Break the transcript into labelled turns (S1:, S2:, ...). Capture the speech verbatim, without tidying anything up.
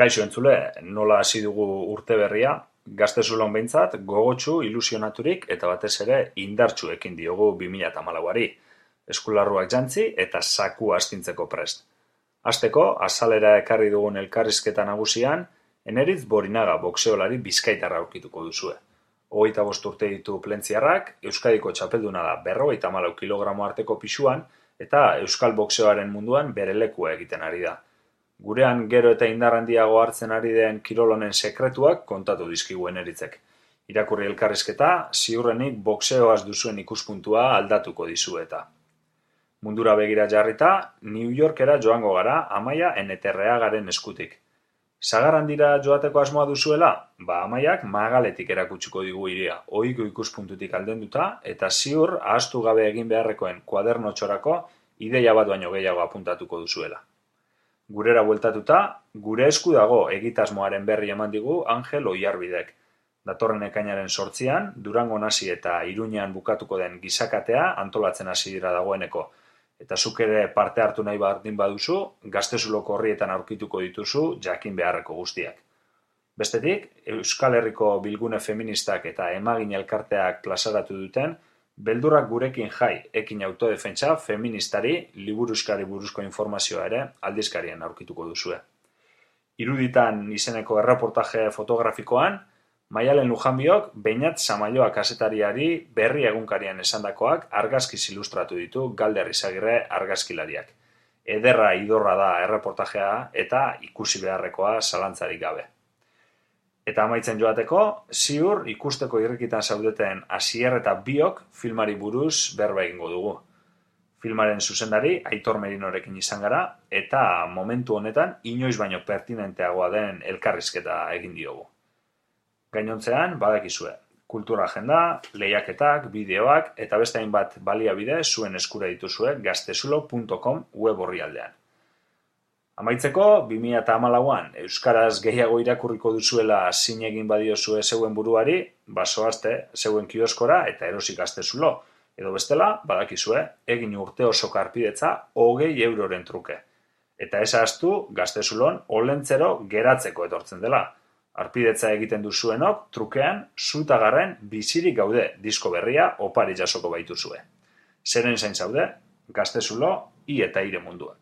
S1: Kaixo entzule, nola hasi dugu urte berria, Gaztezulon behintzat gogotsu, ilusionaturik eta batez ere indartsu ekin diogu bi mila hamalauari. Eskularruak jantzi eta sakua astintzeko prest. Hasteko, azalera ekarri dugun elkarrizketa nagusian, Eneritz Borinaga boxeolari bizkaitarra aurkituko duzue. Hogeita bost urte ditu plentziarrak, Euskadiko txapelduna da berrogeita hamalau kilogramo arteko pisuan eta euskal boxeoaren munduan bere lekua egiten ari da. Gurean gero eta indar handiago hartzen ari den kirol honen sekretuak kontatu dizkigu Eneritzek. Irakurri elkarrizketa, ziurrenik boxeoaz duzuen ikuspuntua aldatuko dizueta. Mundura begira jarrita, New Yorkera joango gara Amaia Eneterreagaren eskutik. Sagar handira joateko asmoa duzuela? Ba Amaiak magaletik erakutsiko digu hiria, ohiko ikuspuntutik aldenduta eta ziur ahaztu gabe egin beharrekoen kuadernotxorako ideia bat baino gehiago apuntatuko duzuela. Gurera bueltatuta, gure esku dago egitasmoaren berri eman digu Angel Oiarbidek. Datorren ekainaren sortzian, Durango hasi eta Iruñean bukatuko den gizakatea antolatzen hasi dira dagoeneko. Eta zuk ere parte hartu nahi bardin baduzu, Gaztezuloko horrietan aurkituko dituzu jakin beharreko guztiak. Bestetik, Euskal Herriko bilgune feministak eta emagin elkarteak plazaratu duten Beldurrak gurekin jai, ekin autodefentsa feministari liburuskari buruzko informazioa ere aldizkarien aurkituko duzue. Iruditan izeneko erreportaje fotografikoan, Maialen Lujanbiok Beñat Samaioa kazetariari berri egunkarian esandakoak argazkiz ilustratu ditu Galder Izagirre argazkilariak. Ederra idorra da erreportajea eta ikusi beharrekoa zalantzarik gabe. Eta amaitzen joateko, ziur ikusteko irrikitan zaudeten Asier eta Biok filmari buruz berba egingo dugu. Filmaren zuzendari Aitor Merinorekin izan gara eta momentu honetan inoiz baino pertinenteagoa den elkarrizketa egin diogu. Gainontzean, badakizue, kultura agenda, lehiaketak, bideoak eta beste hainbat baliabide zuen eskura dituzue gaztezulo puntu com web orrialdean. Amaitzeko, bi mila hamalauan euskaraz gehiago irakurriko duzuela zin egin badiozue zeuen buruari, basoazte zeuen kioskora eta erosi Gaztezulo. Edo bestela, badakizue, egin urte oso karpidetza hogei euroren truke. Eta ez ahaztu Gaztezulon olentzero geratzeko etortzen dela. Arpidetza egiten duzuenok, trukean, zutagarren bizirik gaude disko berria opari jasoko baituzue. Zeren zain zaude, Gaztezulo, i eta ire mundua.